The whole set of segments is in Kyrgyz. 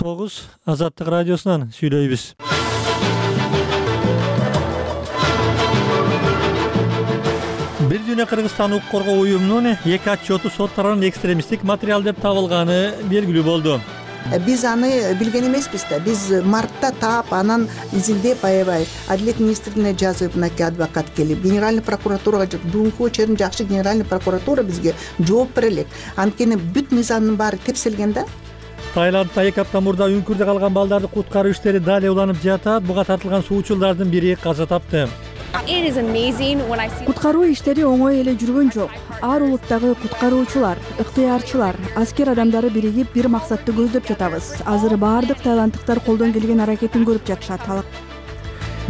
9 Азаттык радиосунан сүйлөйбүз. Бир дүйнө Кыргызстан укук коргоо уюмунун 2 отчету сот тарабынан экстремисттик материал деп табылганы белгилүү болду. Биз аны билген эмеспиз да. Биз мартта таап, анан изилдеп аябай Адилет министрлигине жазып, мынакей адвокат келип, генеральный прокуратурага, бүгүнкү учурдун жакшы генеральный прокуратура бизге жооп бере элек. Анткени бүт мыйзамдын баары тепселген да. Таиландда 2 апта мурда үңкүрдө калган балдарды куткаруу иштери дали уланып жатат. Буга тартылган суучулардын бири каза тапты. Куткаруу иштери оңой эле жүргөн жок. Ар улуттагы куткаруучулар, ыктыярчылар, аскер адамдары биригип бир максатты көздөп жатабыз. Азыр баардык таиланддыктар колдон келген аракетин көрүп жатышат.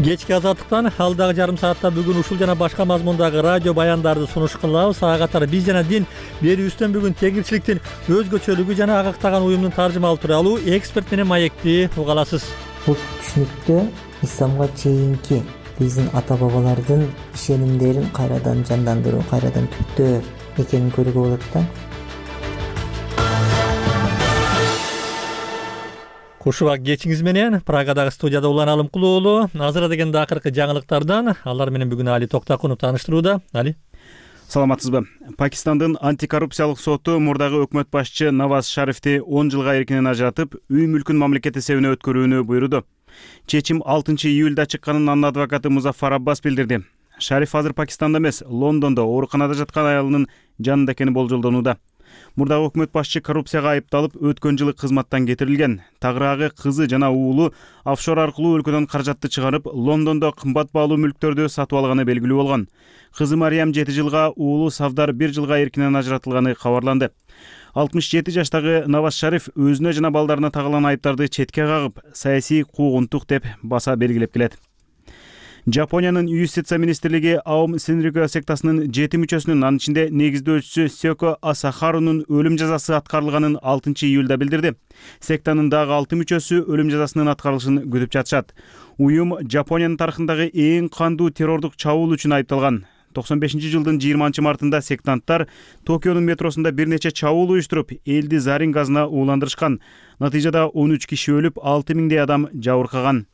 Кечки Азаттыктан алдагы жарым саатта бүгүн ушул жана башка мазмундагы радио баяндарды сунуш кылабыз. Ага катары биз жана дин берүүбүздөн бүгүн тегирчиликтин өзгөчөлүгү жана агактаган уюмдун таржымалуу тууралуу эксперт менен маекти уга аласыз. Бул түшүнүктө исламга чейинки биздин ата-бабалардын ишенимдерин кайрадан жандандыруу, кайрадан түптөө экенин көрүүгө болот да. Кушубак кечиңиз менен Прагадагы студияда Улан Алымкул уулу. Азыр дегенде акыркы жаңылыктардан алар менен бүгүн Али Токтакунов тааныштырууда. Али. Саламатсызбы? Пакистандын антикоррупциялык соту мурдагы өкмөт башчы Наваз Шарифти 10 жылга эркинен ажыратып, үй мүлкүн мамлекет эсебине өткөрүүнү буйруду. Чечим 6-июлда чыкканын анын адвокаты Музаффар Аббас билдирди. Шариф азыр Пакистанда эмес, Лондондо ооруканада жаткан аялынын жанында экени болжолдонууда. Мурдагы өкмөт башчы коррупцияга айыпталып, өткөн жылы кызматтан кетирилген. Тагыраагы кызы жана уулу офшор аркылуу өлкөдөн каражатты чыгарып, Лондондо кымбат баалуу мүлктөрдү сатып алганы белгилүү болгон. Кызы Мариям 7 жылга, уулу Савдар 1 жылга эркинен ажыратылганы кабарланды. 67 жаштагы Наваз Шариф өзүнө жана балдарына тагылган айыптарды четке кагып, саясий куугунтук деп баса белгилеп келет. Жапониянын юстиция министрлиги Аум Синрикё сектасынын 7 мүчөсүнүн, анын ичинде негиздөөчүсү Сёко Асахарунун өлүм жазасы аткарылганын 6-июлда билдирди. Сектанын дагы 6 мүчөсү өлүм жазасынын аткарылышын күтүп жатышат. Уюм Жапониянын тарыхындагы эң кандуу террордук чабуул үчүн айыпталган. 95-жылдын 20 мартында сектанттар Токионун метросунда бир нече чабуул уюштуруп, элди зарин газына ууландырышкан. Натыйжада 13 киши өлүп, 6000 адам жабыркаган.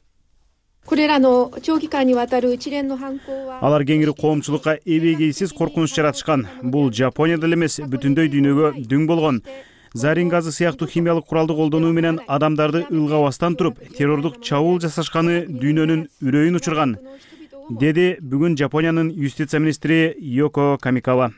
Алар кеңири коомчулукка эбегейсиз коркунуч жаратышкан. Бул Жапонияда эмес, бүтүндөй дүйнөгө дүң болгон. Зарин газы сыяктуу химиялык куралды колдонуу менен адамдарды ылгабастан туруп, террордук чабуул жасашканы дүйнөнүн үрөйүн учурган, деди бүгүн Жапониянын юстиция министри Йоко Камикава.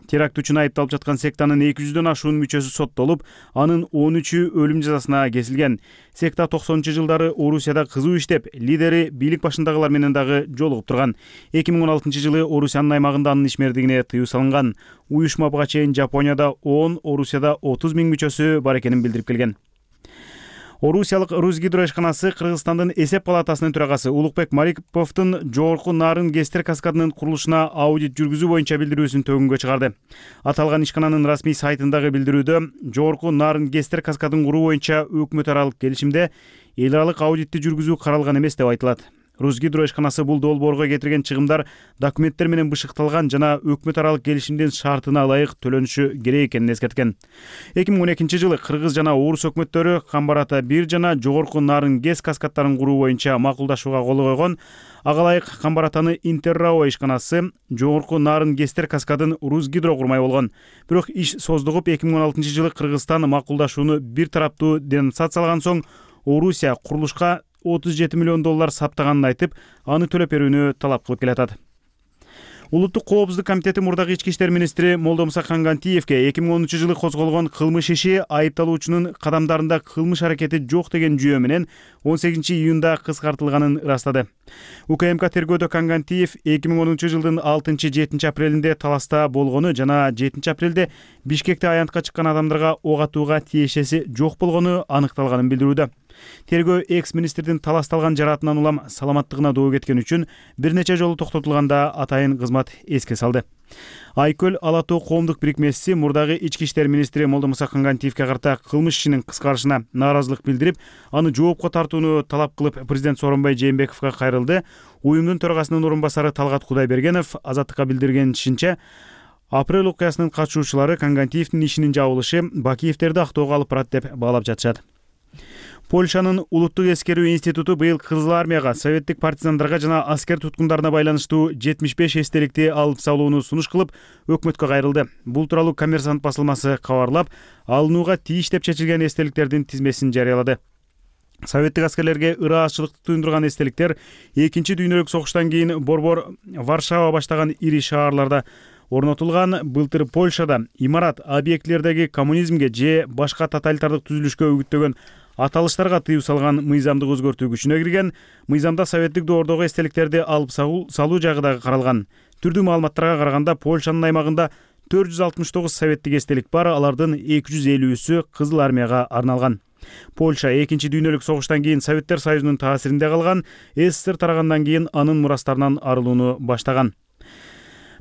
Теракт үчүн айыпталып жаткан сектанын 200дөн ашуун мүчөсү соттолуп, анын 13-ү өлүм жазасына кесилген. Секта 90-жылдары Орусияда кызуу иштеп, лидери бийлик башындагылар менен дагы жолугуп турган. 2016-жылы Орусиянын аймагында анын ишмердигине тыюу салынган. Уюшма буга чейин Жапонияда 10, Орусияда 30 000 мүчөсү бар экенин билдирип келген. Орусиялык Русгидро ишканасы Кыргызстандын эсеп палатасынын төрагасы Улукбек Мариповдун жогорку нарын Гестер каскадынын курулушуна аудит жүргүзүү боюнча билдирүүсүн төгүнгө чыгарды. Аталган ишкананын расмий сайтындагы билдирүүдө жогорку нарын Гестер каскадын куруу боюнча өкмөт аралык келишимде эл аралык аудитти жүргүзүү каралган эмес деп айтылат. Русгидро ишканасы бул долбоорго кетирген чыгымдар документтер менен бышыкталган жана өкмөт аралык келишимдин шартына ылайык төлөнүшү керек экенин эскерткен. 2012-жылы Кыргыз жана Орус өкмөттөрү Камбарата 1 жана жогорку нарын ГЭС каскадтарын куруу боюнча макулдашууга кол койгон. Ага ылайык Камбаратаны Интеррао ишканасы жогорку нарын ГЭСтер каскадын Русгидро курмай болгон. Бирок иш создугуп 2016-жылы Кыргызстан макулдашууну бир тараптуу денонсациялаган соң Орусия курулушка $37 миллион саптаганын айтып, аны төлөп берүүнү талап кылып келатат. Улуттук коопсуздук комитети мурдагы ички иштер министри Молдомуса Кангантиевке 2013-жылы козголгон кылмыш иши айыпталуучунун кадамдарында кылмыш аракети жок деген жүйө менен 18-июнда кыскартылганын ырастады. УКМК тергөөдө Кангантиев 2010-жылдын 6-7 апрелинде таласта болгону жана 7 апрелде Бишкекте аянтка чыккан адамдарга ок атууга тиешеси жок болгону аныкталганын билдирүүдө. Тергөө экс-министрдин таласталган жараатынан улам саламаттыгына доо кеткен үчүн бир нече жолу токтотулганда атайын кызмат эске салды. Айкөл Ала Тоо коомдук бирикмеси мурдагы ички иштер министри Молдомуса Кангантиевке карата кылмыш ишинин кыскарышына нааразылык билдирип, аны жоопко тартууну талап кылып президент Сооронбай Жээнбековго кайрылды. Уюмдун төрагасынын орун басары Талгат Кудайбергенов Азаттыкка билдиргенинче, апрель окуясынын катышуучулары Кангантиевдин ишинин жабылышы Бакиевтерди актоого алып барат деп баалап жатышат. Польшанын улуттук эскерүү институту быйыл Кызыл армияга, советтик партизандарга жана аскер туткундарына байланыштуу 75 эстеликти алып салууну сунуш кылып, өкмөткө кайрылды. Бул тууралуу Коммерсант басылмасы кабарлап, алынууга тийиш деп чечилген эстеликтердин тизмесин жарыялады. Советтик аскерлерге ыраазчылыкты туюндурган эстеликтер Экинчи дүйнөлүк согуштан кийин борбор Варшава баштаган ири шаарларда орнотулган. Былтыр Польшада имарат объектилердеги коммунизмге же башка тоталитардык түзүлүшкө үгүттөгөн аталыштарга тыюу салган мыйзамдык өзгөртүү күчүнө кирген. Мыйзамда советтик доордогу эстеликтерди алып салуу жагы дагы каралган. Түрдүү маалыматтарга караганда Польшанын аймагында 469 советтик эстелик бар, алардын 250-сү Кызыл армияга арналган. Польша Экинчи дүйнөлүк согуштан кийин Советтер Союзунун таасиринде калган, СССР тарагандан кийин анын мурастарынан арылууну баштаган.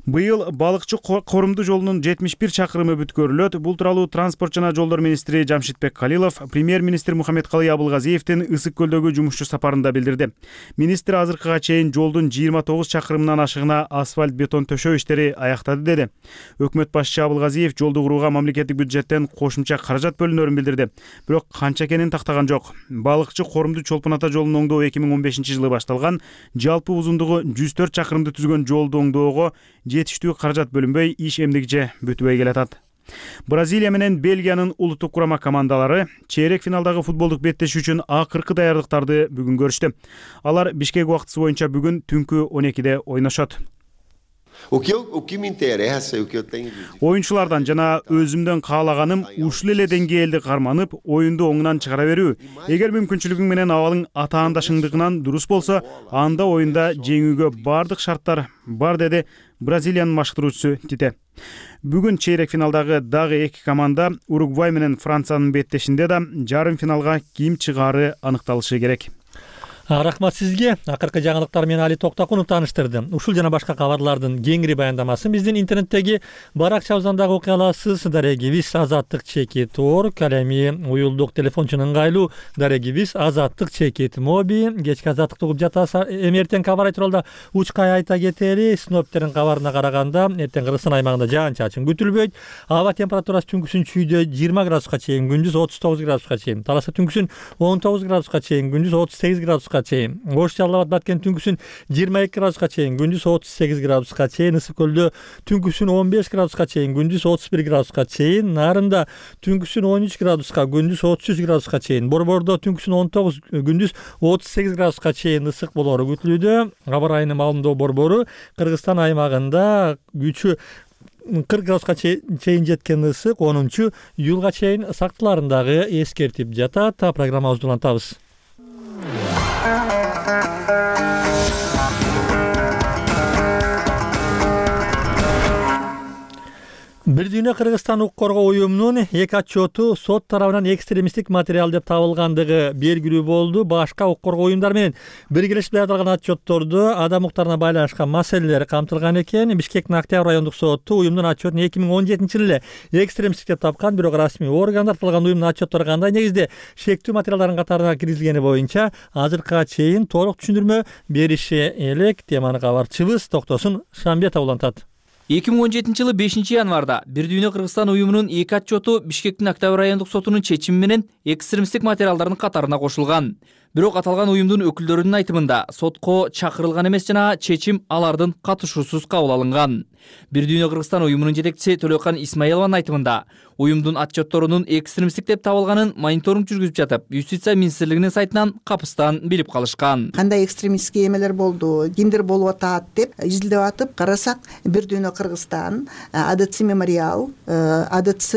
Быйыл балыкчы корумду жолунун 71 чакырымы бүткөрүлөт. Бул тууралуу транспорт жана жолдор министри Жамшитбек Калилов премьер-министр Мухаммедкалый Абылгазиевдин Ысык көлдөгү жумушчу сапарында билдирди. Министр азыркыга чейин жолдун 29 чакырымынан ашыгына асфальт бетон төшөө иштери аяктады деди. Өкмөт башчы Абылгазиев жолду курууга мамлекеттик бюджеттен кошумча каражат бөлүнөрүн билдирди. Бирок канча экенин тактаган жок. Балыкчы корумду Чолпон Ата жолун оңдоо 2015-жылы башталган. Жалпы узундугу 104 чакырымды түзгөн жолду оңдоого жетиштүү каражат бөлүнбөй, иш эмдигиче бүтбөй келатат. Бразилия менен Бельгиянын улуттук курама командалары чейрек финалдагы футболдук беттешүү үчүн акыркы даярдыктарды бүгүн көрүштү. Алар Бишкек убактысы боюнча бүгүн түнкү 12-де ойношот. Оюнчулардан жана өзүмдөн каалаганым ушул эле деңгээлди карманып, оюнду оңунан чыгара берүү. Эгер мүмкүнчүлүгүң менен абалың атаандашыңдыгынан дурус болсо, анда оюнда жеңүүгө бардык шарттар бар, деди Бразилиянын башкаруучусу Тите. Бүгүн чейрек финалдагы дагы эки команда Уругвай менен Франциянын беттешинде да жарым финалга ким чыгаары аныкталышы керек. Рахмат сизге. Акыркы жаңылыктар менен Али Токтокунов тааныштырды. Ушул жана башка кабарлардын кеңири баяндамасын биздин интернеттеги баракчабыздан дагы окуй аласыз. Дарегибиз Азаттык Чекит Орг, алеми уюлдук телефончунун ыңгайлуу дарегибиз Азаттык Чекит Моби. Кечки азаттыкты угуп жатасыз. Эртең кабар тууралуу учкай айта кетели. Синоптиктердин кабарына караганда, эртең Кыргызстан аймагында жаан-чачын күтүлбөйт. Аба температурасы түнкүсүн чүйдө 20 градуска чейин, күндүз 39 градуска чейин. Таласа түнкүсүн 19 градуска чейин, күндүз 38 градуска чейин. Ош Жалал Абад Баткен түнкүсүн 22 градуска чейин, күндүз 38 градуска чейин. Ысык көлдө түнкүсүн 15 градуска чейин, күндүз 31 градуска чейин. Нарында түнкүсүн 13 градуска, күндүз 33 градуска чейин. Борбордо түнкүсүн 19, күндүз 38 градуска чейин ысык болоору күтүлүүдө. Аба ырайынын маалымдоо борбору Кыргызстан аймагында күчү 40 градуска чейин жеткен ысык 10-июлга чейин сактыларын дагы эскертип жатат. Программабызды улантабыз. Бир дүйнө Кыргызстан укук коргоо уюмунун эки отчету сот тарабынан экстремисттик материал деп табылгандыгы белгилүү болду. Башка укук коргоо уюмдар менен биргелешип даярдалган отчеттордо адам укуктарына байланышкан маселелер камтылган экен. Бишкектин Октябрь райондук соту уюмдун отчетун 2017-жылы эле экстремисттик деп тапкан, бирок расмий органдар аталган уюмдун отчеттору кандай негизде шектүү материалдардын катарына киргизилгени боюнча азыркыга чейин толук түшүндүрмө бериши элек. Теманы кабарчыбыз Токтосун Шамбетов улантат. 2017-жылы 5-январда Бир дүйнө Кыргызстан уюмунун эки отчету Бишкектин Октябрь райондук сотунун чечими менен экстремисттик материалдардын катарына кошулган. Бирок аталган уюмдун өкүлдөрүнүн айтымында сотко чакырылган эмес жана чечим алардын катышуусуз кабыл алынган. Бир дүйнө Кыргызстан уюмунун жетекчиси Төлөкан Исмаилованын айтымында уюмдун отчетторунун экстремисттик деп табылганын мониторинг жүргүзүп жатып, Юстиция министрлигинин сайтынан капыстан билип калышкан. Кандай экстремистский эмелер болду, кимдер болуп атат деп изилдеп атып карасак, Бир дүйнө Кыргызстан, АДЦ Мемориал, АДЦ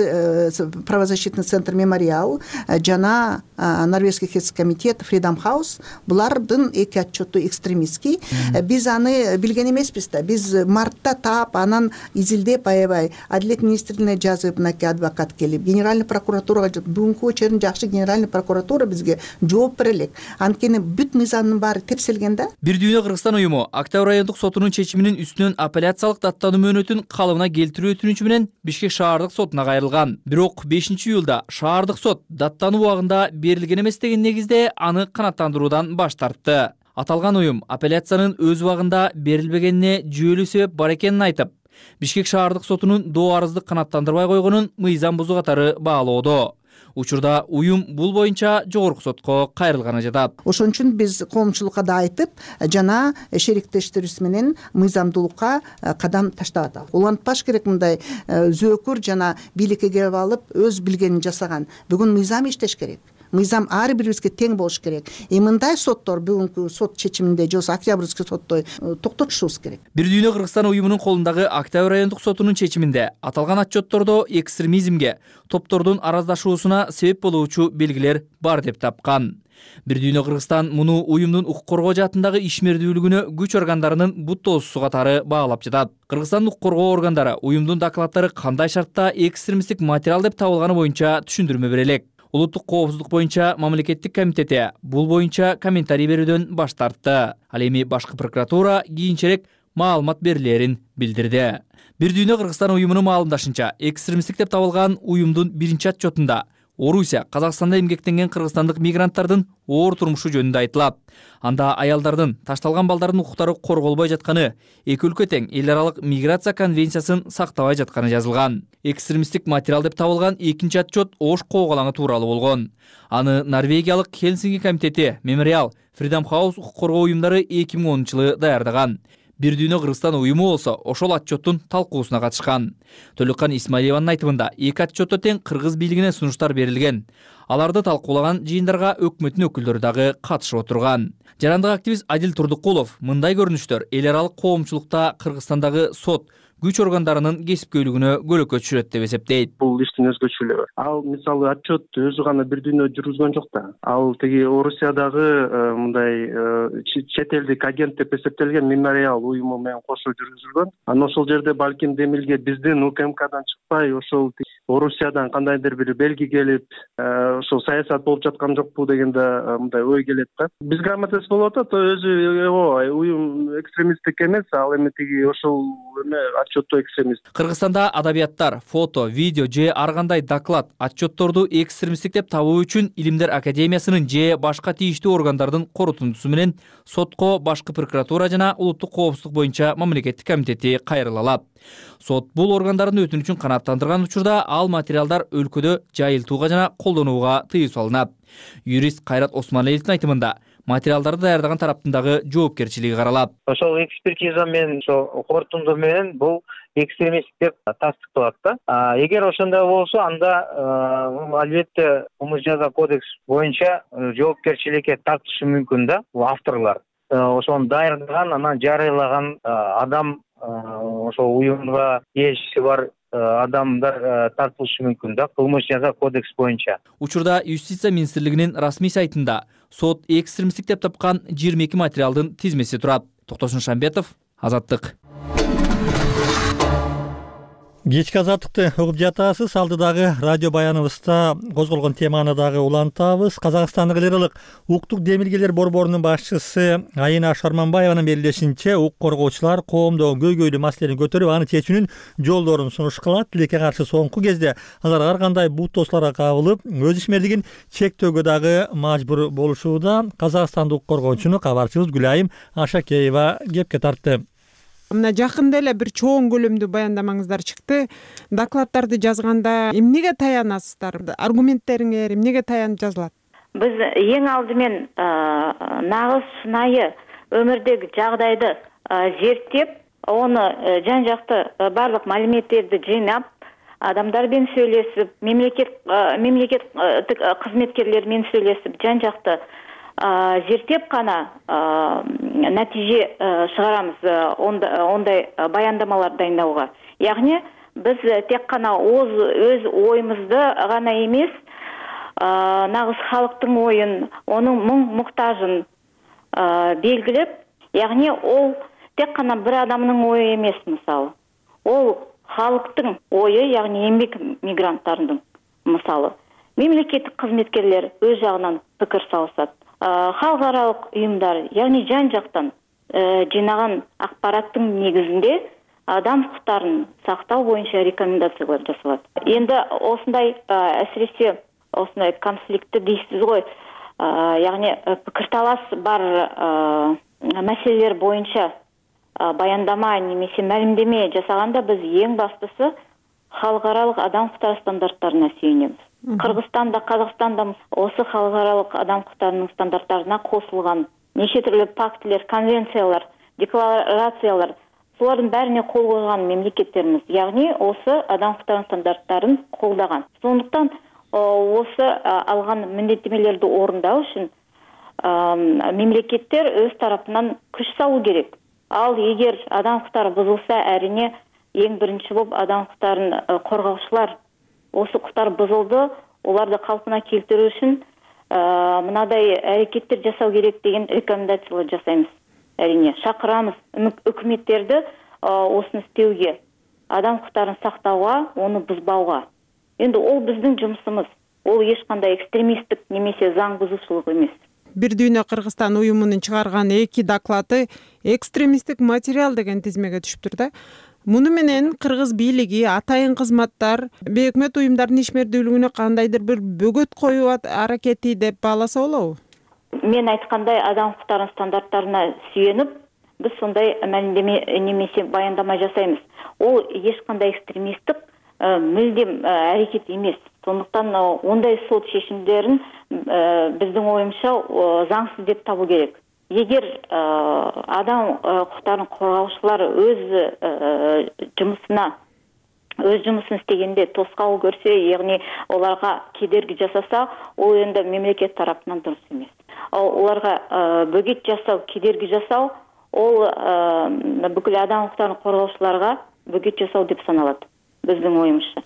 правозащитный центр Мемориал жана Норвежский хельсинский комитет Freedom House булардын эки отчету экстремистский. Биз аны билген эмеспиз да. Биз мартта таап анан изилдеп аябай Адилет министрлигине жазып, мынакей адвокат келип, генеральный прокуратурага бүгүнкү очерин жакшы генеральный прокуратура бизге жооп бере элек. Анткени бүт мыйзамдын баары тепселген да. Бир дүйнө Кыргызстан уюму Октябрь райондук сотунун чечиминин үстүнөн апелляциялык даттануу мөөнөтүн калыбына келтирүү өтүнүчү менен Бишкек шаардык сотуна кайрылган. Бирок 5-июлда шаардык сот даттануу убагында берилген эмес деген негизде аны канааттандыруудан баш тартты. Аталган уюм апелляциянын өз убагында берилбегенине жүйөлүү себеп бар экенин айтып, Бишкек шаардык сотунун доо арызды канааттандырбай койгонун мыйзам бузуу катары баалоодо. Учурда уюм бул боюнча жогорку сотко кайрылганы жатат. Ошон үчүн биз коомчулукка да айтып, жана шериктештерибиз менен мыйзамдуулукка кадам таштап атабыз. Улантпаш керек мындай зөөкүр жана бийликке келип алып өз билгенин жасаган. Бүгүн мыйзам иштеш керек. Мыйзам ар бирибизге тең болуш керек. Мындай соттор бүгүнкү сот чечиминде же октябрьский сотто токтотушубуз керек. Бир дүйнө Кыргызстан уюмунун колундагы Октябрь райондук сотунун чечиминде аталган отчеттордо экстремизмге, топтордун араздашуусуна себеп болуучу белгилер бар деп тапкан. Бир дүйнө Кыргызстан муну уюмдун укук коргоо жаатындагы ишмердүүлүгүнө күч органдарынын буттоосузсу катары баалап жатат. Кыргызстандын укук коргоо органдары уюмдун докладдары кандай шартта экстремисттик материал деп табылганы боюнча түшүндүрмө бере элек. Улуттук коопсуздук боюнча мамлекеттик комитети бул боюнча комментарий берүүдөн баш тартты. Ал эми башкы прокуратура кийинчерээк маалымат берилерин билдирди. Бир дүйнө Кыргызстан уюмунун маалымдашынча, экстремисттик деп табылган уюмдун биринчи отчетунда Орусия, Казакстанда эмгектенген кыргызстандык мигранттардын оор турмушу жөнүндө айтылат. Анда аялдардын, ташталган балдардын укуктары корголбой жатканы, эки өлкө тең эл аралык миграция конвенциясын сактабай жатканы жазылган. Экстремисттик материал деп табылган экинчи отчет Ош коогалаңы тууралуу болгон. Аны Норвегиялык Хельсинки комитети, Мемориал, Freedom House укук коргоо уюмдары 2010-жылы даярдаган. Бир дүйнө Кыргызстан уюму болсо ошол отчеттун талкуусуна катышкан. Төлөккан Исмаилованын айтымында эки отчетто тең кыргыз бийлигине сунуштар берилген. Аларды талкуулаган жыйындарга өкмөттүн өкүлдөрү дагы катышып отурган. Жарандык активист Адил Турдукулов мындай көрүнүштөр эл аралык коомчулукта Кыргызстандагы сот, күч органдарынын кесипкөйлүгүнө көлөкө түшүрөт деп эсептейт. Бул иштин өзгөчөлүгү. Ал мисалы отчет өзү гана бир дүйнө жүргүзгөн жок да. Ал тиги Орусиядагы мындай чет элдик агент деп эсептелген Мемориал уюму менен кошо жүргүзүлгөн. Анан ошол жерде балким Демилге биздин УКМКдан чыкпай ошол Орусиядан кандайдыр бир белги келип, ошол саясат болуп жаткан жокпу дегенде мындай ой келет да. Бизге аматес болуп атат, өзү уюм экстремисттик эмес, ал эми тиги ошол отчетто экстремист. Кыргызстанда адабияттар, фото, видео же ар кандай доклад, отчетторду экстремисттик деп табуу үчүн Илимдер академиясынын же башка тийиштүү органдардын корутундусу менен сотко башкы прокуратура жана улуттук коопсуздук боюнча мамлекеттик комитети кайрыла алат. Сот бул органдардын өтүнүчүн канааттандырган учурда ал материалдар өлкөдө жайылтууга жана колдонууга тыюу салынат. Юрист Кайрат Османелиевдин айтымында материалдарды даярдаган тараптын дагы жоопкерчилиги каралат. Ошол экспертиза менен ошол корутунду менен бул экстремисттик деп тастыкталат да. Эгер ошондой болсо, анда албетте кылмыш жаза кодекс боюнча жоопкерчиликке тартылышы мүмкүн да бул авторлор. Ошону даярдаган, анан жарыялаган адам, ошол уюмга тиешеси бар адамдар тартылышы мүмкүн да кылмыш жаза кодекс боюнча. Учурда Юстиция министрлигинин расмий сайтында сот экстремисттик деп тапкан 22 материалдын тизмеси турат. Токтосун Шамбетов, Азаттык. Кечки азаттыкты угуп жатасыз. Алдыдагы радио баяныбызда козголгон теманы дагы улантабыз. Казакстандык эл аралык укуктук демилгелер борборунун башчысы Айына Шарманбаеванын белгилешинче, укук коргоочулар коомдогу көйгөйлүү маселени көтөрүп, аны чечүүнүн жолдорун сунуш кылат. Тилекке каршы соңку кезде алар ар кандай бут тослорго кабылып, өз ишмердигин чектөөгө дагы мажбур болушууда. Казакстандык укук коргоочуну кабарчыбыз Гүлайым Ашакеева кепке тартты. Мына жакында эле бир чоң көлөмдүү баяндамаңыздар чыкты. Докладдарды жазганда эмнеге таянасыздар? Аргументтериңер эмнеге таянып жазылат? Биз эң алдымен нагыз сынайы өмүрдөгү жагдайды зерттеп, оны жан жакты барлык маалиметтерди жыйнап, адамдар менен сүйлөшүп, мемлекет кызметкерлери менен сүйлөшүп, жан жакты зерттеп кана натиже чыгарамыз ондай баяндамалар дайындауга. Ягни биз тек кана өз оюмузду гана эмес, нагыз халыктын оюн, онун мұң-мұқтажын белгилеп, ягни ол тек кана бир адамдын ою эмес, мисалы. Ол халыктын ою, ягни эмгек мигранттардын, мисалы. Мемлекеттик кызметкерлер өз жагынан пикир салышат. Халыкаралык уюмдар, ягни жан жактан жыйнаган акпараттын негизинде адам укуктарын сактоо боюнча рекомендациялар жасалат. Эndi осундай әсиресе осундай конфликтти дейсиз ғой, ягни пикирталаш бар маселелер боюнча баяндама немесе маалимдеме жасаганда биз эң баштысы халыкаралык адам укуктары стандарттарына сүйүнөбүз. Кыргызстан да, Казакстан да осы халыкаралык адам укуктарынын стандарттарына косулган. Нече түрлүү пактилер, конвенциялар, декларациялар, булардын бәріне кол койгон мемлекеттерimiz. Ягни осы адам укуктарынын стандарттарын колдогон. Сондуктан осы алган міндеттемелерди орундоо үчүн мемлекеттер өз тарапынан күч салуу керек. Ал эгер адам укуктары бузулса, әрине эң биринчи болуп адам укуктарын коргоочулар осы укуктар бузулду, оларды калпына келтирүү үчүн мындай аракеттер жасау керек деген рекомендациялар жасайбыз. Әрине шакырамыз өкмөттерди осуну истеуге, адам укуктарын сактауга, оны бузбауга. Енді ол біздің жұмысымыз. Ол ешқандай экстремисттік немесе заң бұзушылық емес. Бир дүйнө Кыргызстан уюмунун чыгарган 2 доклады экстремисттик материал деген тизмеге түшүптүр да. Муну менен кыргыз бийлиги, атайын кызматтар бейөкмөт уюмдардын ишмердүүлүгүнө кандайдыр бир бөгөт коюу аракети деп бааласа болобу? Мен айткандай адам укуктарынын стандарттарына сүйөнүп, биз сондай маалимдеме немесе баяндама жасайбыз. Ол ешкандай экстремисттик мүлдем аракет емес. Сондықтан ондай сот шешімдерін біздің ойымша заңсыз деп табу керек. Егер адам құқықтарын қорғаушылар өз жұмысын істегенде тосқауыл көрсе, яғни оларға кедергі жасаса, ол енді мемлекет тарапынан дұрыс емес. Оларға бөгет жасау, кедергі жасау, ол бүкіл адам құқықтарын қорғаушыларға бөгет жасау деп саналады. Біздің ойымызша.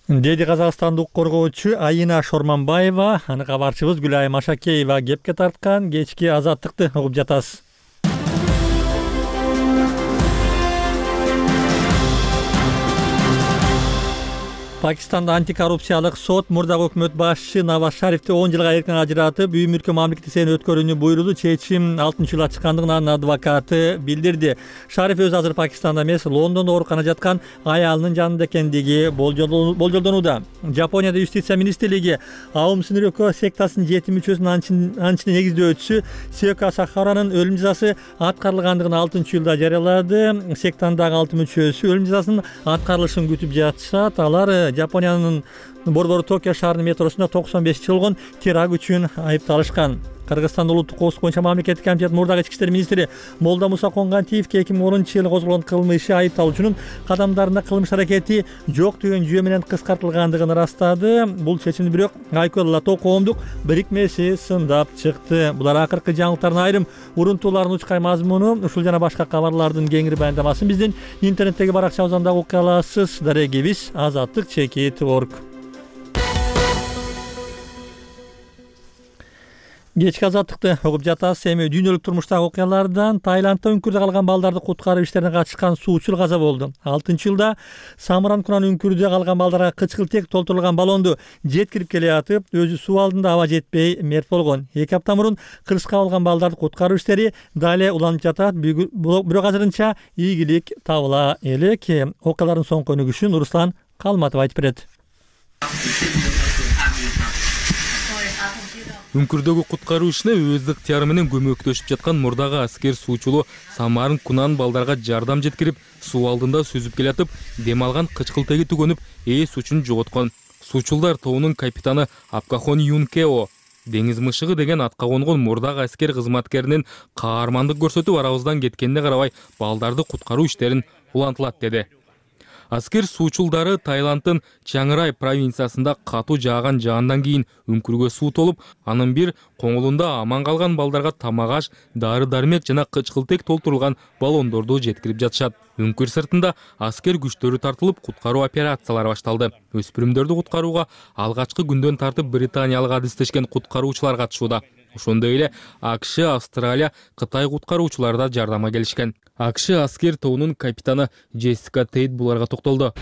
Деди казакстандык коргоочу Айына Шорманбаева, аны кабарчыбыз Гүлайым Машакеева кепке тарткан кечки азаттыкты угуп жатасыз. Пакистанда антикоррупциялык сот мурдагы өкмөт башчы Наваз Шарифти 10 жылга эркин ажыратып, үй мүлкү мамлекеттик исебинен өткөрүүнү буйруду. Чечим 6-жылга чыккандыгын анын адвокаты билдирди. Шариф өзү азыр Пакистанда эмес, Лондондо ооруканада жаткан аялынын жанында экендиги болжолдонууда. Жапонияда юстиция министрлиги Аум Синрёко сектасынын 7 мүчөсүнүн анчын негиздөөчүсү Сёка Сахаранын өлүм жазасы аткарылгандыгын 6-жылда жарыялады. Сектандагы 6 мүчөсү өлүм жазасынын аткарылышын күтүп жатышат. Алар Жапониянын борбору Токио шаарынын метросунда 95 жыл болгон теракт үчүн айыпталышкан. Кыргызстан улуттук коопсуздук боюнча мамлекеттик комитет мурдагы ички иштер министри Молда Муса Конгантиевке 2010-жылы козголгон кылмышы айыпталуучунун кадамдарында кылмыш аракети жок деген жүйө менен кыскартылгандыгын ырастады. Бул чечимди бирок Айкөл Лато коомдук бирикмеси сындап чыкты. Булар акыркы жаңылыктардын айрым урунтууларын учкай мазмуну, ушул жана башка кабарлардын кеңири баяндамасын биздин интернеттеги баракчабыздан дагы окуй аласыз. Дарегибиз azatlik.org. Кечки азаттыкты угуп жатасыз. Эми дүйнөлүк турмуштагы окуялардан Таиландда үңкүрдө калган балдарды куткаруу иштерине катышкан суучул каза болду. 6-жылда Самран-Кунан үңкүрдө калган балдарга кычкылтек толтурулган баллонду жеткирип келе атып, өзү суу алдында аба жетпей мерт болгон. 2 апта мурун кырсыкка калган балдарды куткаруу иштери дале уланып жатат. Бирок азырынча ийгилик табыла элек. Окуялардын соңку өнүгүшүн Руслан Калматов айтып берет. Үңкүрдөгү куткаруу ишине өз ыктыяры менен көмөктөшүп жаткан мурдагы аскер суучулу Самарын Кунан балдарга жардам жеткирип, суу алдында сүзүп келатып, дем алган кычкылтеги түгөнүп, эс үчүн жоготкон. Суучулдар тобунун капитаны Апкахон Юнкео деңиз мышыгы деген атка конгон мурдагы аскер кызматкеринин каармандык көрсөтүп арабыздан кеткенине карабай, балдарды куткаруу иштерин улантылат деди. Аскер суучулдары Таиланддын Чанграй провинциясында катуу жааган жаандан кийин үңкүргө суу толуп, анын бир коңулунда аман калган балдарга тамак-аш, дары-дармек жана кычкылтек толтурулган баллондорду жеткирип жатышат. Үңкүр сыртында аскер күчтөрү тартылып, куткаруу операциялары башталды. Өспүрүмдөрдү куткарууга алгачкы күндөн тартып британиялык адистешкен куткаруучулар катышууда. Ошондой эле АКШ, Австралия, Кытай куткаруучулары да жардамга келишкен. АКШ аскер тобунун капитаны Джессика Тейт буларга токтолду.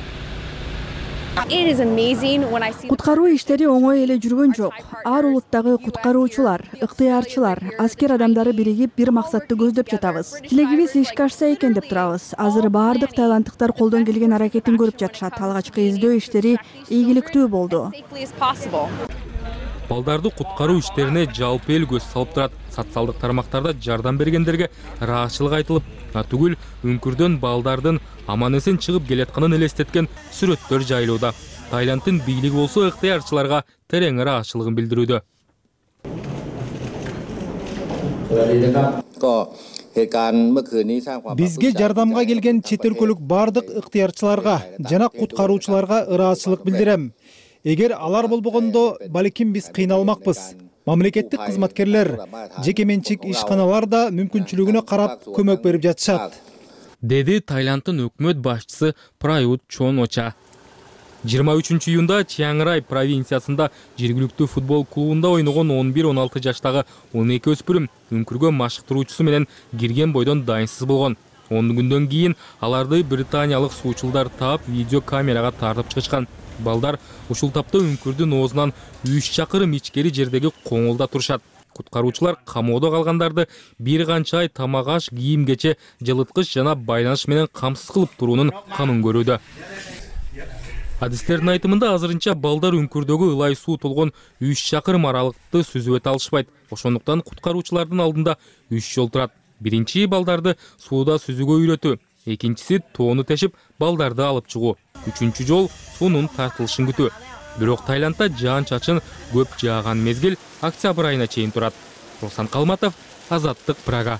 Куткаруу иштери оңой эле жүргөн жок. Ар улуттагы куткаруучулар, ыктыярчылар, аскер адамдары биригип бир максатты көздөп жатабыз. Тилегибиз ишке ашса экен деп турабыз. Азыр баардык таиланддыктар колдон келген аракетин көрүп жатышат. Алгачкы издөө иштери ийгиликтүү болду. Балдарды куткаруу иштерине жалпы эл көз салып турат. Социалдык тармактарда жардам бергендерге ыраазычылык айтылып, түгүл үңкүрдөн балдардын аман эсен чыгып келатканын элестеткен сүрөттөр жайылууда. Таиланддын бийлиги болсо ыктыярчыларга терең ыраазычылыгын билдирүүдө. Бизге жардамга келген чет өлкөлүк бардык ыктыярчыларга жана куткаруучуларга ыраазычылык билдирем. Эгер алар болбогондо, балким биз кыйналмакпыз. Мамлекеттик кызматкерлер, жеке менчик ишканалар да мүмкүнчүлүгүнө карап көмөк берип жатышат, деди Таиланддын өкмөт башчысы Прают Чон-оча. 23 июнда Чианграй провинциясында жергиликтүү футбол клубунда ойногон 11-16 жаштагы 12 өспүрүм үңкүргө машыктыруучусу менен кирген бойдон дайынсыз болгон. 10 күндөн кийин аларды британиялык суучулдар таап видео камерага тартып чыгышкан. Балдар ушул тапта үңкүрдүн оозунан 3 чакырым ичкери жердеги коңулда турушат. Куткаруучулар камоодо калгандарды бир канча ай тамак аш, кийим кече, жылыткыч жана байланыш менен камсыз кылып туруунун камын көрүүдө. Адистердин айтымында азырынча балдар үңкүрдөгү ылай суу толгон 3 чакырым аралыкты сүзүп өтө алышпайт. Ошондуктан куткаруучулардын алдында 3 жол турат. Биринчи балдарды сууда сүзүүгө үйрөтүү, экинчиси тоону тешип балдарды алып чыгуу, үчүнчү жол суунун тартылышын күтүү. Бирок Таиландда жаан-чачын көп жааган мезгил октябрь айына чейин турат. Руслан Калматов, Азаттык, Прага.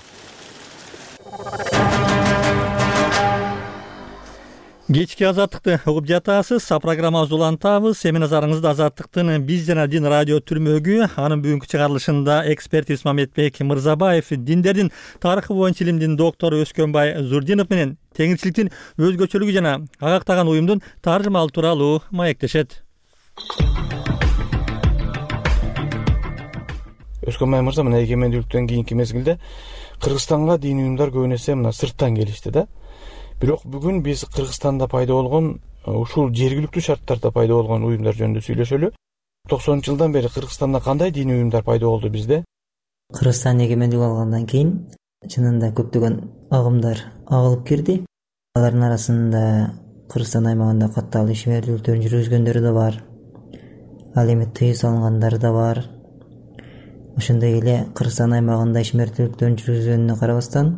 Кечки Азаттыкты угуп жатасыз. Программабызды улантабыз. Эми назарыңызды Азаттыктын Биз жана дин радио түрмөгү, анын бүгүнкү чыгарылышында эксперт Исмамбек Мырзабаев, диндердин тарыхы боюнча илимдин доктору Өскөнбай Зурдинов менен теңирчиликтин өзгөчөлүгү жана агактаган уюмдун таржымалы тууралуу маектешет. Өскөнбай мырза, мына эгемендүүлүктөн кийинки мезгилде Кыргызстанга диний уюмдар көбүн эсе мына сырттан келишти да. Бирок бүгүн биз Кыргызстанда пайда болгон, ушул жергиликтүү шарттарда пайда болгон уюмдар жөнүндө сүйлөшөлү. 90-жылдан бери Кыргызстанда кандай диний уюмдар пайда болду бизде? Кыргызстан эгемендүүлүк алгандан кийин чынында көптөгөн агымдар агылып кирди. Алардын арасында Кыргызстан аймагында катталуу ишмердүүлүктөрүн жүргүзгөндөр да бар. Ал эми тыюу салынгандар да бар. Ошондой эле Кыргызстан аймагында ишмердүүлүктөрүн жүргүзгөнүнө карабастан,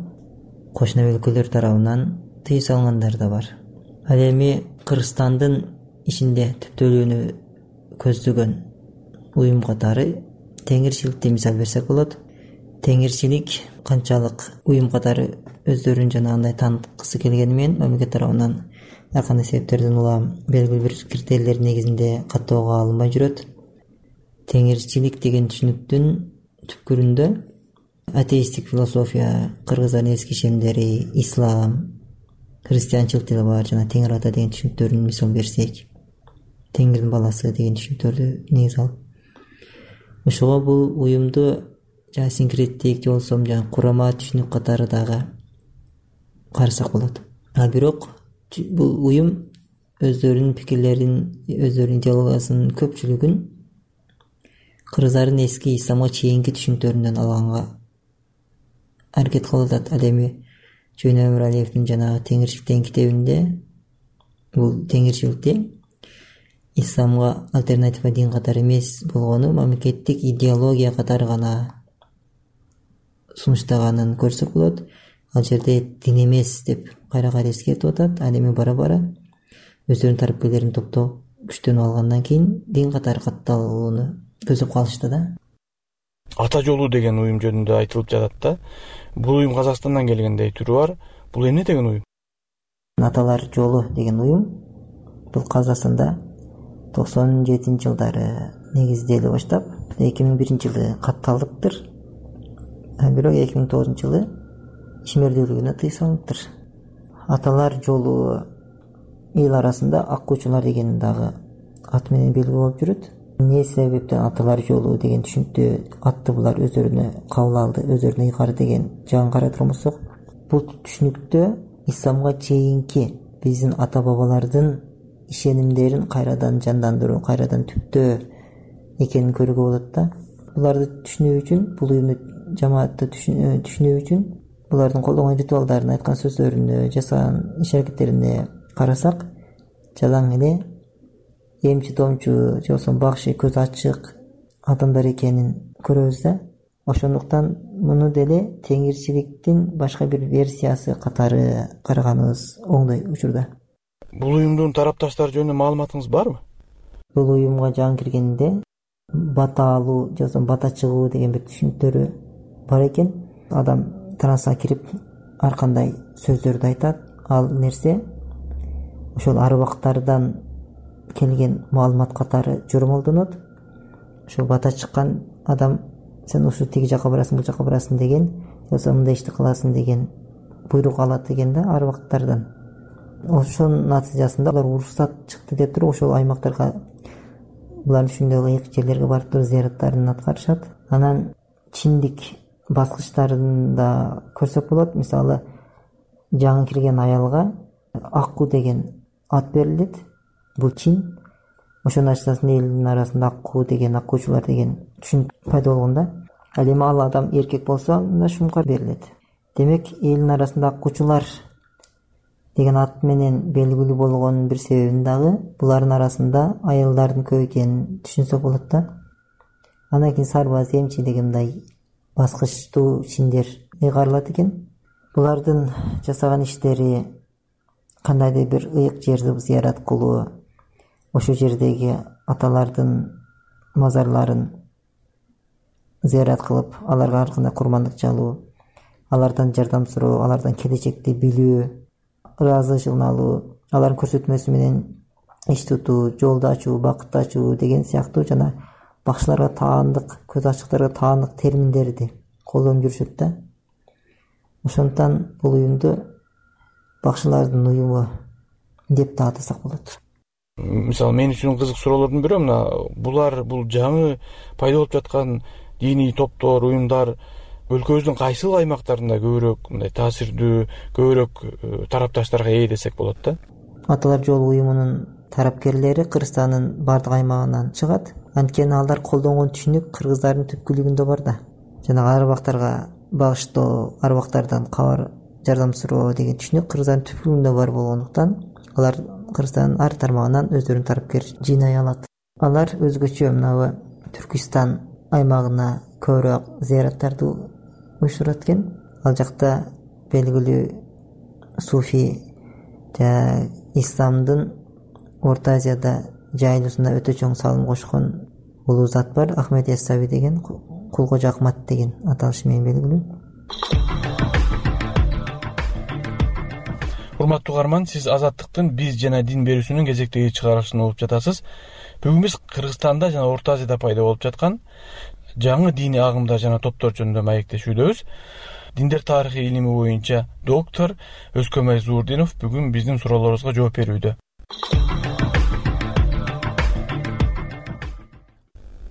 кошуна өлкөлөр тарабынан тыюу салынгандар да бар. Ал эми Кыргызстандын ичинде түптөлүүнү көздөгөн уюм катары теңирчиликти мисал берсек болот. Теңирчилик канчалык уюм катары өздөрүн жанагындай тааныткысы келгени менен мамлекет тарабынан ар кандай себептерден улам белгилүү бир критерийлер негизинде каттоого алынбай жүрөт. Теңирчилик деген түшүнүктүн түпкүрүндө атеисттик философия, кыргыздардын эски ишенимдери, ислам, христианчылык деле бар, жана Теңир ата деген түшүнүктөрүн мисал берсек, Теңирдин баласы деген түшүнүктөрдү негиз алып, ошого бул уюмду жана синкреттик же болбосо жана курама түшүнүк катары дагы карасак болот. А бирок бул уюм өздөрүнүн пикирлерин, өздөрүнүн идеологиясынын көпчүлүгүн кыргыздардын эски исламга чейинки түшүнүктөрүнөн алганга аракет кылып атат. Ал эми Жөн Өмүралиевдин жанагы Теңирчилик деген китебинде бул теңирчиликти исламга альтернатива дин катары эмес болгону мамлекеттик идеология катары гана сунуштаганын көрсөк болот. Ал жерде дин эмес деп кайра эскертип атат. Ал эми бара өздөрүнүн тарапкерлерин топтоп күчтөнүп алгандан кийин дин катары катталууну көздөп калышты да. Ата жолу деген уюм жөнүндө айтылып жатат да. Бул уюм Казакстандан келгендей түрү бар. Бул эмне деген уюм? Аталар жолу деген уюм бул Казакстанда 97-жылдары негизделе баштап 2001-жылы катталыптыр. Бирок 2009-жылы ишмердүүлүгүнө тыюу салыныптыр. Аталар жолу эл арасында аккучулар деген дагы ат менен белгилүү болуп жүрөт. Эмне себептен аталар жолу деген түшүнүктү атты булар өздөрүнө кабыл алды, өздөрүнө ыйгары деген жагын карай турмусак, бул түшүнүктө исламга чейинки биздин ата бабалардын ишенимдерин кайрадан жандандыруу, кайрадан түптөө экенин көрүүгө болот да. Буларды түшүнүү үчүн, бул уюмду жамаатты түшүнүү үчүн булардын колдонгон ритуалдарын, айткан сөздөрүнө, жасаган иш-аракеттерине карасак, жалаң эле эмчи-томчу же болбосо бакшы, көз ачык адамдар экенин көрөбүз да. Ошондуктан муну деле теңирчиликтин башка бир версиясы катары караганыбыз оңдой учурда. Бул уюмдун тарапташтары жөнүндө маалыматыңыз барбы? бул уюмга жаңы киргенде бата алуу же болбосо бата чыгуу деген бир түшүнүктөрү бар экен. Адам трансқа кирип ар кандай сөздөрдү айтат. Ал нерсе ошол арбактардан келген маалымат катары жормолдонот. Ошол бата чыккан адам сен ушу тиги жака барасың, бул жака барасың деген, болсо мындай ишти кыласың деген буйрук алат экен да арбактардан. Ошонун натыйжасында алар уруксат чыкты деп туруп ошол аймактарга булар ушундай ыйык жерлерге барып туруп зыяраттарын аткарышат. Анан чиндик баскычтарын да көрсөк болот. Мисалы жаңы кирген аялга Акку деген ат берилет. Бул чин. Ошонун ачасында элдин арасында Акку деген, аккуучулар деген түшүнүк пайда болгон да. Ал эми ал адам эркек болсо анда Шумкар берилет. Демек элдин арасында аккуучулар деген ат менен белгилүү болгон бир себебин дагы булардын арасында аялдардын көп экенин түшүнсөк болот да. Андан кийин сарбаз, эмчи деген мындай баскычтуу чиндер ыйгарылат экен. Булардын жасаган иштери кандайдыр бир ыйык жерди зыярат кылуу, ошол жердеги аталардын мазарларын зыярат кылып, аларга ар кандай курмандык чалуу, алардан жардам суроо, алардан келечекти билүү, ыраазычылыгын алуу, алардын көрсөтмөсү менен иш тутуу, жолду ачуу, бакытты ачуу деген сыяктуу жана бакчыларга таандык, көз ачыктарга таандык терминдерди колдонуп жүрүшөт да. Ошондуктан бул уюмду бакчылардын уюму деп да атасак болот. Мисалы мен үчүн кызык суроолордун бири мына булар бул жаңы пайда болуп жаткан диний топтор, уюмдар өлкөбүздүн кайсыл аймактарында көбүрөөк мындай таасирдүү, көбүрөөк тарапташтарга ээ десек болот да? Аталар жолу уюмунун тарапкерлери Кыргызстандын бардык аймагынан чыгат. Анткени алар колдонгон түшүнүк кыргыздардын түпкүлүгүндө бар да. Жанагы арбактарга багыштоо, арбактардан кабар, жардам суроо деген түшүнүк кыргыздардын түпкүлүгүндө бар болгондуктан алар Кыргызстандын ар тармагынан өздөрүнүн тарапкер жыйнай алат. Алар өзгөчө мына Түркистан аймагына көбүрөөк зыяраттарды уюштурат экен. Ал жакта белгилүү суфи жана исламдын Орто Азияда жайылуусуна өтө чоң салым кошкон улуу зат бар. Ахмед Яссауи деген, Кулкожо Акмат деген аталышы менен белгилүү. Урматтуу угарман, сиз Азаттыктын биз жана дин берүүсүнүн кезектеги чыгарылышын угуп жатасыз. Бүгүн биз Кыргызстанда жана Орто Азияда пайда болуп жаткан жаңы диний агымдар жана топтор жөнүндө маектешүүдөбүз. Диндер тарыхы илими боюнча доктор Өзкөмай Зуурдинов бүгүн биздин суроолорубузга жооп берүүдө.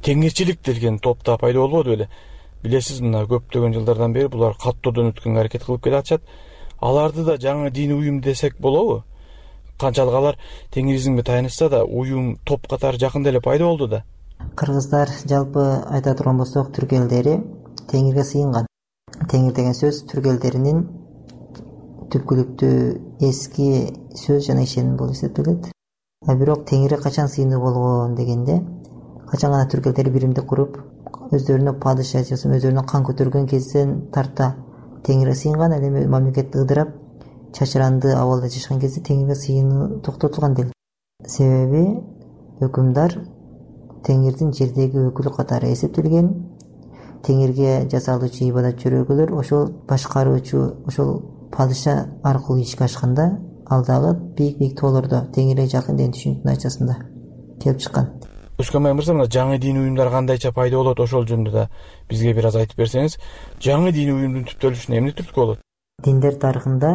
Кеңирчилик деген топта пайда болбоду беле? Билесиз, мына көптөгөн жылдардан бери булар каттоодон өткөнгө аракет кылып келатышат. Аларды да жаңы диний уюм десек болобу? Канчалык алар теңиризмге таянышса да, уюм топ катары жакында эле пайда болду да. Кыргыздар жалпы айта турган болсок, түрк элдери теңирге сыйынган. Теңир деген сөз түрк элдеринин түпкүлүктүү эски сөз жана ишеним болуп эсептелет. Бирок теңирге качан сыйынуу болгон дегенде, качан гана түрк элдери биримдик куруп, өздөрүнө падыша же өздөрүнө кан көтөргөн кезден тарта теңирге сыйынган. Ал эми мамлекет ыдырап, чачыранды абалда жашаган кезде теңирге сыйынуу токтотулган дел. Себеби өкүмдар теңирдин жердеги өкүлү катары эсептелген. Теңирге жасалуучу ибадат чөрөгөлөр ошол башкаруучу, ошол падыша аркылуу ишке ашканда, ал дагы бийик тоолордо теңирге жакын деген түшүнүктүн ачасында келип чыккан. Өзкөмай мырза, мына жаңы диний уюмдар кандайча пайда болот, ошол жөнүндө да бизге бир аз айтып берсеңиз. Жаңы диний уюмдун түптөлүшүнө эмне түрткү болот? Диндер тарыхында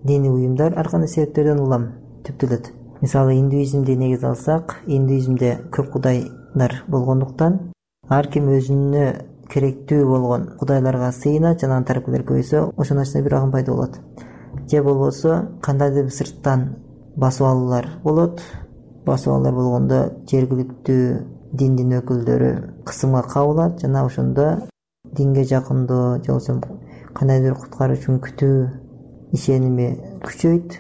диний уюмдар ар кандай себептерден улам түптөлөт. Мисалы, индуизмди негиз алсак, индуизмде көп кудайлар болгондуктан ар ким өзүнө керектүү болгон кудайларга сыйынат жана анын тарапкерлери көбөйсө, ошонун ачасында бир агым пайда болот. Же болбосо кандайдыр бир сырттан басып алуулар болот. Басып алуулар болгондо жергиликтүү диндин өкүлдөрү кысымга кабылат жана ошондо динге жакындоо же болбосо кандайдыр куткаруучунун күтүү ишеними күчөйт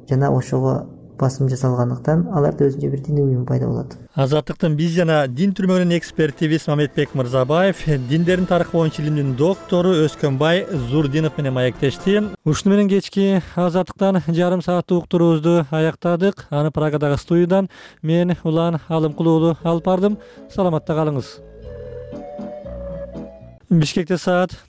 жана ошого басым жасалгандыктан аларда өзүнчө бир диний уюм пайда болот. Азаттыктын биз жана дин түрмөгүнүн экспертибиз Мамедбек Мырзабаев, диндердин тарыхы боюнча илимдин доктору Өскөнбай Зурдинов менен маектешти. Ушуну менен кечки Азаттыктан жарым сааттык уктуруубузду аяктадык. Аны Прагадагы студиядан мен Улан Алымкул уулу алып бардым. Саламатта калыңыз. Бишкекте саат